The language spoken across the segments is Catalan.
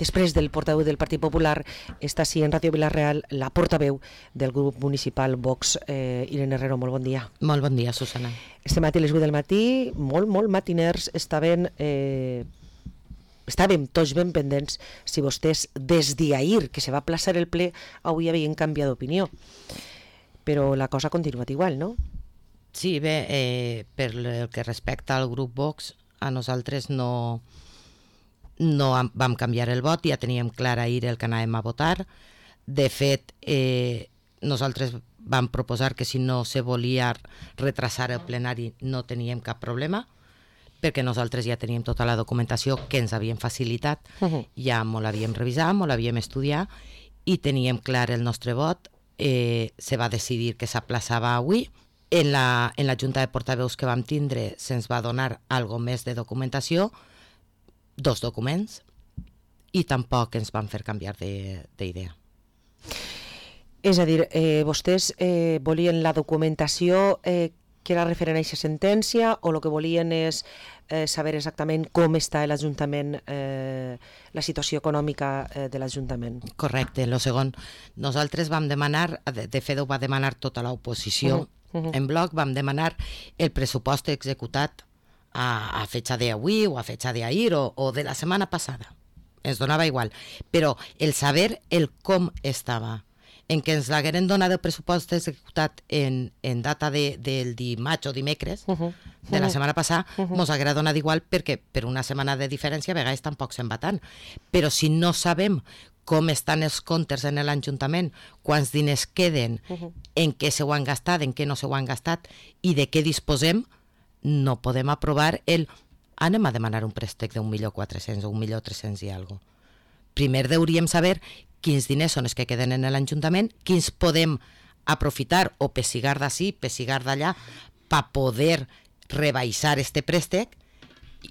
després del portaveu del Partit Popular està així en Ràdio Vila-real la portaveu del grup municipal Vox, Irene Herrero. Molt bon dia. Molt bon dia, Susana. Este matí a les 8 del matí, molt matiners, estàvem tots ben pendents si vostès des d'ahir que se va plaçar el ple avui havien canviat d'opinió, però la cosa ha continuat igual, no? Sí, bé, per el que respecta al grup Vox, a nosaltres no vam canviar el vot, ja teníem clar ahir el que anàvem a votar. De fet, nosaltres vam proposar que si no se volia retrasar el plenari no teníem cap problema, perquè nosaltres ja teníem tota la documentació que ens havien facilitat, ja molt l'havíem revisat, molt l'havíem estudiat i teníem clar el nostre vot. Se va decidir que s'aplaçava avui. En la Junta de Portaveus que vam tindre se'ns va donar algo més de documentació, 2 documents, i tampoc ens van fer canviar d'idea. És a dir, vostès volien la documentació que era referent a aquesta sentència, o el que volien és saber exactament com està l'Ajuntament, la situació econòmica de l'Ajuntament? Correcte, el segon. Nosaltres vam demanar, de fet ho va demanar tota l'oposició, en bloc vam demanar el pressupost executat a fecha de avui o a fecha de ahir o de la setmana passada. Ens donava igual, però el saber el com estava. En què ens l'hagueren donat el pressupost executat en data del dimarts o dimecres de la setmana passada, ens haguera donat igual perquè per una setmana de diferència a vegades tampoc se'n va tant. Però si no sabem com estan els comptes en l'Ajuntament, quants diners queden, en què se ho han gastat, en què no se ho han gastat i de què disposem, no podem aprovar anem a demanar un préstec d'1.400.000 o 1.300.000 i alguna cosa. Primer hauríem saber quins diners són els que queden en l'Ajuntament, quins podem aprofitar o pessigar d'ací, pessigar d'allà, per poder rebaixar este préstec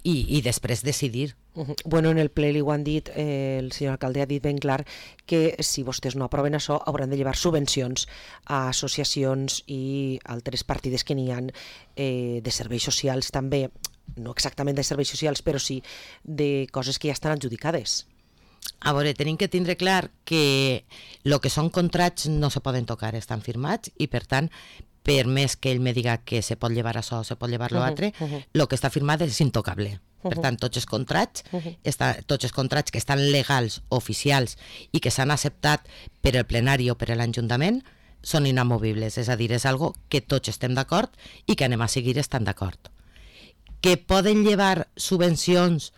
i després decidir. Bueno, en el ple li ho han dit, el senyor alcalde ha dit ben clar que si vostès no aproven això hauran de llevar subvencions a associacions i altres partides que n'hi ha de serveis socials també, no exactament de serveis socials, però sí de coses que ja estan adjudicades. A veure, tenim que tindre clar que el que són contrats no se poden tocar, estan firmats i per tant, per més que ell me diga que se pot llevar això o se pot llevar l'altre, el que està firmat és intocable. Per tant, tots els contrats que estan legals, oficials i que s'han acceptat per el plenari o per l'Ajuntament són inamovibles, és a dir, és algo que tots estem d'acord i que anem a seguir estant d'acord. Que poden llevar subvencions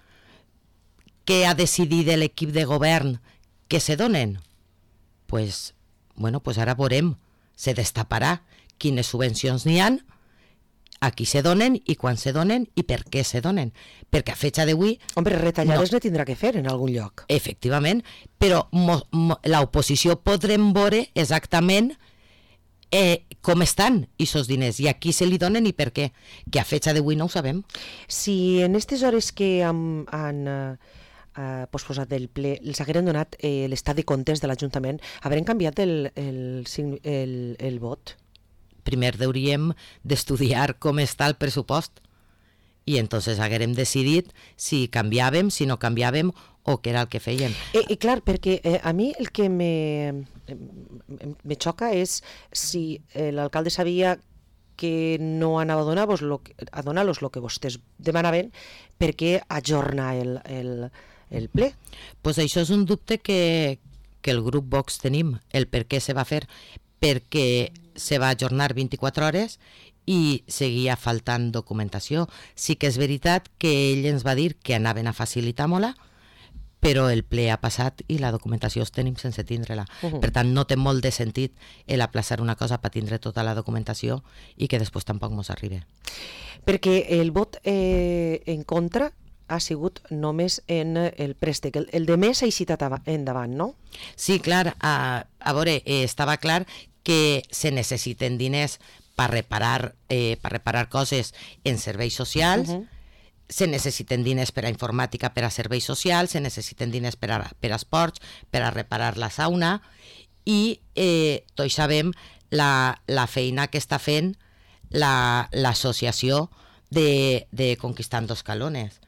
que ha decidit l'equip de govern que se donen? Pues ara veurem, se destaparà quines subvencions n'hi han, a qui se donen i quan se donen i per què se donen. Perquè a fecha d'avui... Hombre, retallades no tindrà que fer en algun lloc. Efectivament, però l'oposició podrem veure exactament com estan aquests diners i a qui se li donen i per què, que a fecha d'avui no ho sabem. Si en aquestes hores que han posposat del ple els hagueren donat l'estat de comptes de l'Ajuntament, haurem canviat el vot? Primer hauríem d'estudiar com està el pressupost i entonces haguérem decidit si canviàvem, si no canviàvem o què era el que fèiem. Clar, perquè a mi el que me xoca és si l'alcalde sabia que no anava a donar-los el que vostès demanaven, per què ajornar el ple? Pues això és un dubte que el grup Vox tenim, el per què se va fer, perquè se va ajornar 24 hores i seguia faltant documentació. Sí que és veritat que ell ens va dir que anaven a facilitar-me-la, però el ple ha passat i la documentació els tenim sense tindre-la. Per tant, no té molt de sentit aplaçar una cosa per tindre tota la documentació i que després tampoc ens arribi. Perquè el vot en contra ha sigut només en el préstec. El de més ha eixit endavant, no? Sí, clar. A veure, estava clar que se necessiten diners per reparar coses en serveis socials, se necessiten diners per a informàtica, per a serveis socials, se necessiten diners per a esports, per a reparar la sauna i tots sabem la feina que està fent l'associació de Conquistando Escalones.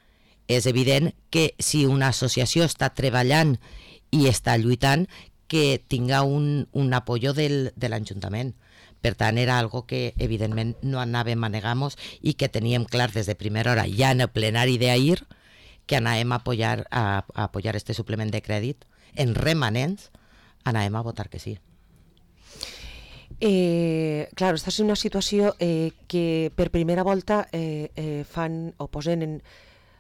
és evident que si una associació està treballant i està lluitant, que tinga un apoyo de l'Ajuntament. Per tant, era algo que evidentment no anàvem a negar-nos i que teníem clar des de primera hora, ja en el plenari d'ahir, que anàvem a apoyar este suplement de crèdit en remanents, anàvem a votar que sí. Claro, esta és una situació que per primera volta fan o posen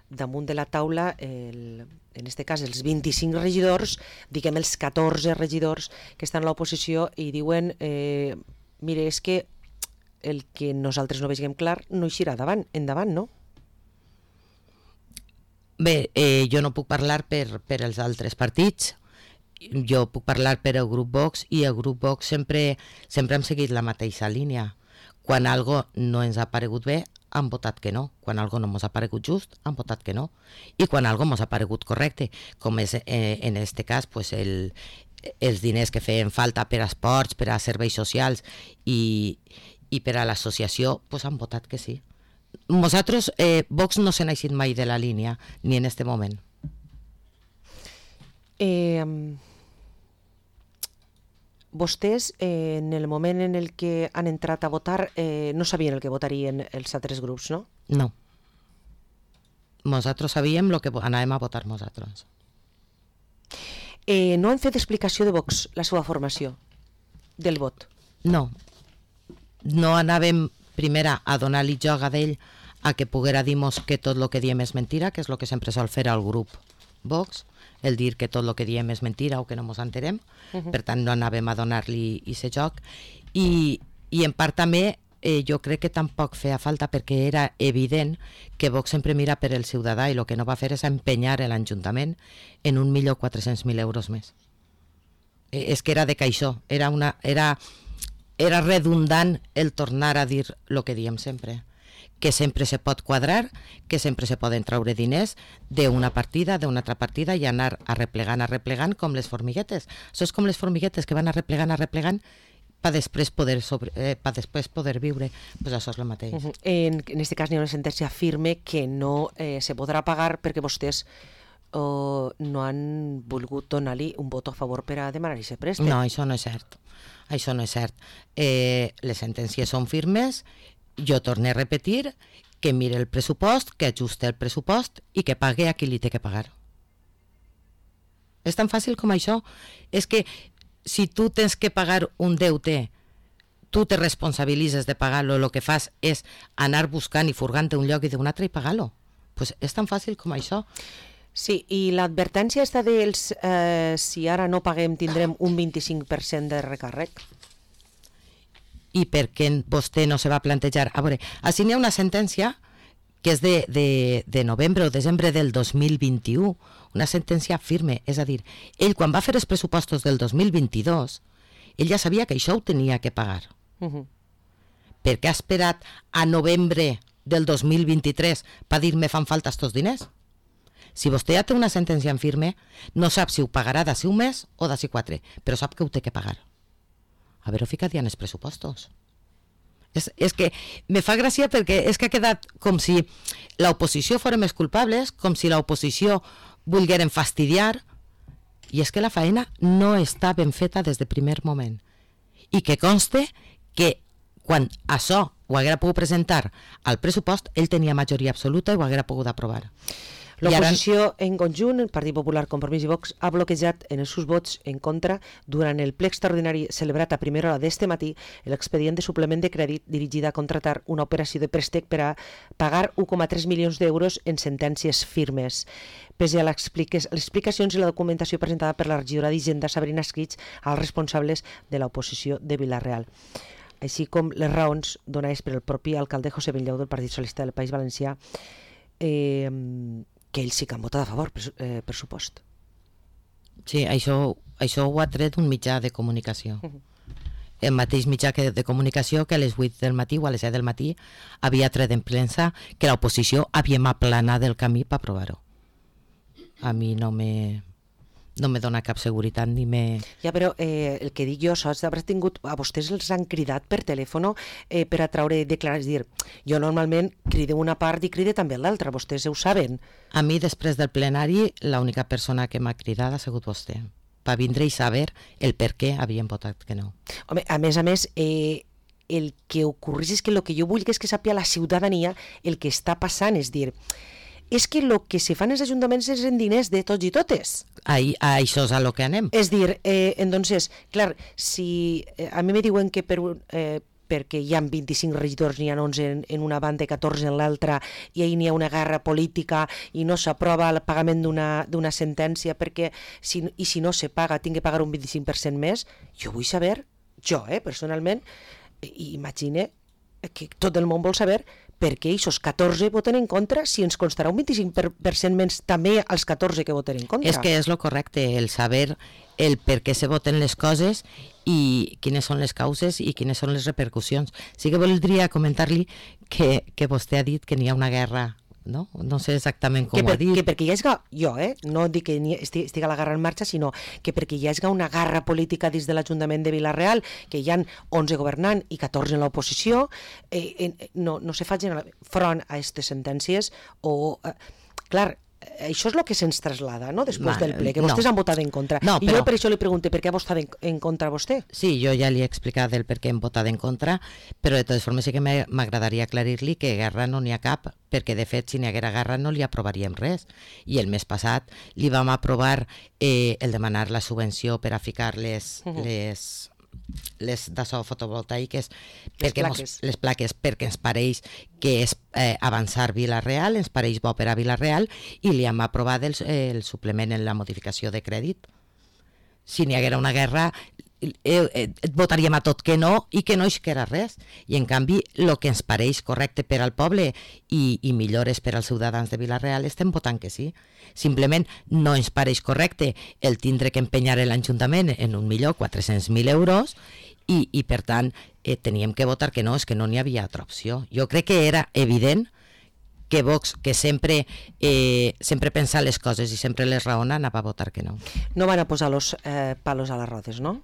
damunt de la taula, en este cas els 25 regidors, diguem els 14 regidors que estan a l'oposició i diuen mire, és que el que nosaltres no vegem clar no eixirà endavant, no? Bé, jo no puc parlar per els altres partits, jo puc parlar per el grup Vox i el grup Vox sempre hem seguit la mateixa línia. Quan algo no ens ha paregut bé, han votat que no. Quan algo no ens ha paregut just, han votat que no. I quan algo ens ha paregut correcte, com és en este cas pues els diners que feien falta per a esports, per a serveis socials i per a l'associació, pues han votat que sí. Nosaltres, Vox no se n'ha eixit mai de la línia, ni en este moment. Vostès, en el moment en el que han entrat a votar, no sabien el que votarien els altres grups, no? No. Nosaltres sabíem el que anàvem a votar nosaltres. No han fet explicació de Vox, la seva formació, del vot? No. No anàvem, primera, a donar-li joc a d'ell a que poguera dir-nos que tot el que diem és mentira, que és el que sempre sol fer al grup Vox, el dir que tot el que diem és mentira o que no ens enterem. Per tant no anàvem a donar-li aquest joc i en part també jo crec que tampoc feia falta perquè era evident que Vox sempre mira per el ciutadà i el que no va fer és empenyar l'Ajuntament en 1.400.000 euros més. És que era de caixó, era redundant el tornar a dir el que diem sempre, que sempre se pot quadrar, que sempre se poden traure diners d'una partida, d'una altra partida i anar arreplegant com les formiguetes. Això és com les formiguetes que van arreplegant per després poder viure. Pues això és el mateix. En aquest cas hi ha una sentència firme que no se podrà pagar perquè vostès no han volgut donar-li un vot a favor per a demanar aquest préstec. No, això no és cert. Això no és cert. Les sentències són firmes. Jo torno a repetir que mire el pressupost, que ajuste el pressupost i que pague a qui li té que pagar. És tan fàcil com això. És que si tu tens que pagar un deute, tu te responsabilitzes de pagar-lo, el que fas és anar buscant i furgant un lloc i d'un altre i pagar-lo. Pues és tan fàcil com això. Sí, i l'advertència està dels si ara no paguem tindrem un 25% de recàrrec. I per què vostè no se va plantejar? A veure, així n'hi ha una sentència que és de novembre o desembre del 2021, una sentència firme, és a dir, ell quan va fer els pressupostos del 2022, ell ja sabia que això ho tenia que pagar. Per què ha esperat a novembre del 2023 per dir-me fan falta estos diners? Si vostè ja té una sentència en firme, no sap si ho pagarà d'ací un mes o d'ací 4, però sap que ho té que pagar. Haver-ho ficat ja en els pressupostos. És que me fa gràcia perquè és que ha quedat com si l'oposició fora més culpables, com si l'oposició volgueren fastidiar, i és que la feina no està ben feta des del primer moment. I que conste que quan això ho haguera pogut presentar al pressupost, ell tenia majoria absoluta i ho haguera pogut aprovar. L'oposició en conjunt, el Partit Popular, Compromís i Vox, ha bloquejat en els seus vots en contra durant el ple extraordinari celebrat a primera hora d'este matí l'expedient de suplement de crèdit dirigida a contratar una operació de préstec per a pagar 1,3 milions d'euros en sentències firmes. Pese a les explicacions i la documentació presentada per la regidora d'Hisenda, Sabrina Esquich, als responsables de l'oposició de Vila-real, així com les raons donades per el propi alcalde José Bellau del Partit Socialista del País Valencià, que ells sí que han votat a favor, per supost. Sí, això ho ha tret un mitjà de comunicació. El mateix mitjà de comunicació que a les 8 del matí o a les 7 del matí havia tret en premsa que l'oposició havíem aplanat el camí per aprovar-ho. A mi no no me dona cap seguretat ni me... Ja, però el que dic jo, saps, d'haver tingut, a vostès els han cridat per telèfon per a traure declaracions, dir, jo normalment cride una part i cride també l'altra, vostès ho saben. A mi, després del plenari, l'única persona que m'ha cridat ha sigut vostè, per vindre i saber el per què havien votat que no. Home, a més, el que ocorreix és que el que jo vull és que sàpiga la ciutadania el que està passant, és dir, és que el que se fan els ajuntaments és en diners de tots i totes. A això és a lo que anem. És dir, entonces, clar, si a mi me diuen que perquè hi ha 25 regidors, n'hi ha 11 en una banda i 14 en l'altra, i ahir n'hi ha una guerra política i no s'aprova el pagament d'una sentència perquè si no se paga tinc que pagar un 25% més, jo vull saber, jo personalment, i imagine que tot el món vol saber per què aquests 14 voten en contra si ens constarà un 25% menys també als 14 que voten en contra. És que és lo correcte, el saber el per què se voten les coses i quines són les causes i quines són les repercussions. Sí que voldria comentar-li que vostè ha dit que n'hi ha una guerra, no? No sé exactament com ho ha dit. Que perquè hi hagi, jo, no dic que estigui la guerra en marxa, sinó que perquè hi hagi una guerra política dins de l'Ajuntament de Vila-real, que hi ha 11 governant i 14 en l'oposició, no se facin front a aquestes sentències o... Clar, això és el que se'ns traslada, no?, després del ple, que vostès han votat en contra. No, però... I jo per això li pregunto per què ha votat en contra vostè. Sí, jo ja li he explicat el per què hem votat en contra, però de totes formes sí que m'agradaria aclarir-li que guerra no n'hi ha cap, perquè de fet si n'hi haguera guerra no li aprovaríem res. I el mes passat li vam aprovar el demanar la subvenció per a ficar les d'això fotovoltaiques, les plaques, perquè ens pareix que és avançar Vila-real, ens pareix bo per a Vila-real, i li hem aprovat el suplement en la modificació de crèdit. Si n'hi haguera una guerra votaríem a tot que no i que no isquera res, i en canvi el que ens pareix correcte per al poble i millores per als ciutadans de Vila-real estem votant que sí. Simplement no ens pareix correcte el tindre que empenyar l'Ajuntament en 1.400.000 euros i per tant teníem que votar que no, és que no n'hi havia altra opció. Jo crec que era evident que Vox, que sempre pensa les coses i sempre les raona, anava a votar que no. No van a posar los palos a les rodes, no?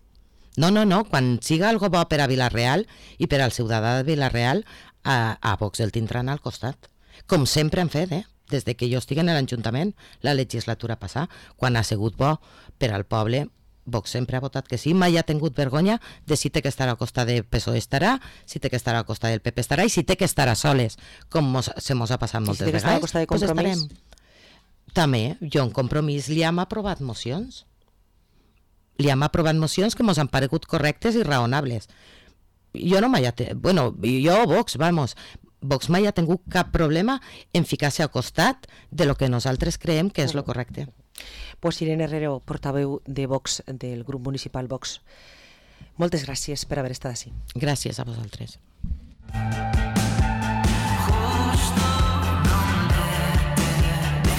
No, quan siga algo bo per a Vila-real i per al ciutadà de Vila-real, a Vox el tindran al costat. Com sempre han fet, des de que jo estic en l'Ajuntament, la legislatura passada, quan ha sigut bo per al poble, Vox sempre ha votat que sí, mai ha tingut vergonya de si té que estar al costat del PSOE estarà, si té que estar al costat del PP estarà i si té que estar a soles, com se mos ha passat moltes vegades. I si té que estar al costat de Compromís? També, jo en Compromís li hem aprovat mocions. Li hem aprovat mocions que ens han paregut correctes i raonables. Jo mai ha tingut cap problema en ficar-se al costat de lo que nosaltres creiem que és lo correcte. Pues Irene Herrero, portaveu de Vox, del grup municipal Vox, moltes gràcies per haver estat així. Gràcies a vosaltres.